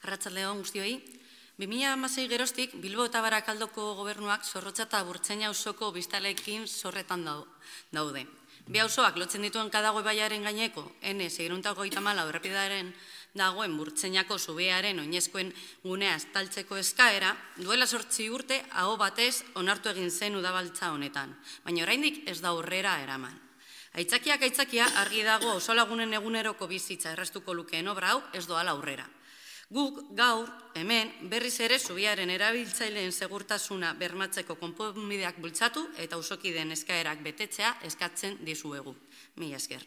Arratsaldeon guztioi. 2016 geroztik Bilbo eta Barakaldoko gobernuak Zorrotza eta Burtsaina auzoko biztanleekin zorretan daude. Bi auzoak lotzen dituen Kadago ibaiaren gaineko N634 errepidearen dagoen Burtsainako zubiaren oinezkoen gunea estaltzeko eskaera duela 8 urte aho batez onartu egin zen udabaltza honetan, baina oraindik ez da aurrera eraman. Aitzakiak aitzakia argi dago auzolagunen eguneroko bizitza erraztuko lukeen obra hau ez doala aurrera. Guk gaur hemen berriz ere zubiaren erabiltzaileen segurtasuna bermatzeko konponbideak bultzatu eta auzokideen eskaerak betetzea eskatzen dizuegu. Mila esker.